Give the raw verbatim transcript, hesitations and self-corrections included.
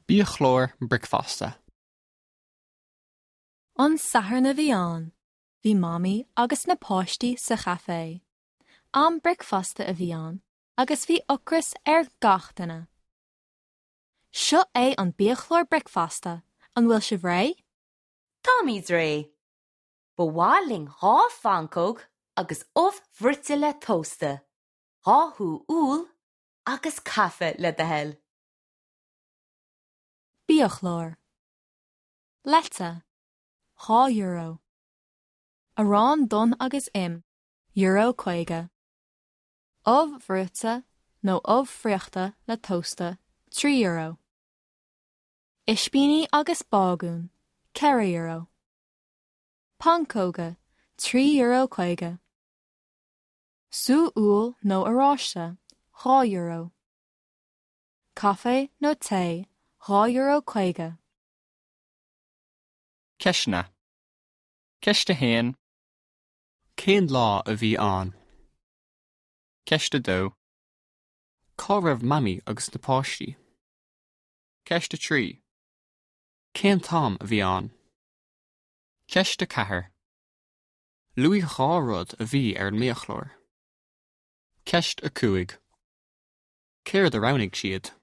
Biachlár bricfeasta. An Satharn a bhí ann, bhí Mamaí agus na páistí sa chaifé. Am bricfeasta a bhí ann, agus bhí ocras ar gach duine. Seo é an biachlár bricfeasta, an bhfuil sibh réidh? Táimid réidh. Ba mhaith linn dhá phancóg agus ubh bhruite le tósta, dhá shú úll agus caife le do thoil. Biachlár. Leite, dhá euro. Arán donn agus im, euro caoga. Ubh bhruite nó ubh friochta le tósta, trí euro. Ispíní agus bágún, ceithre euro. Pancóga, trí euro caoga. Sú úll nó oráiste, dhá euro. Caife nó tae, dhá euro caoga. Ceisteanna. Ceist a haon. Cén lá a bhí ann? Ceist a dó. Cá raibh Mamaí agus na páistí? Ceist a trí. Cén t-am a bhí ann? Ceist a ceathair. Luaigh dhá rud a bhí ar an mbiachlár. Ceist a cúig. Céard a roghnaigh siad?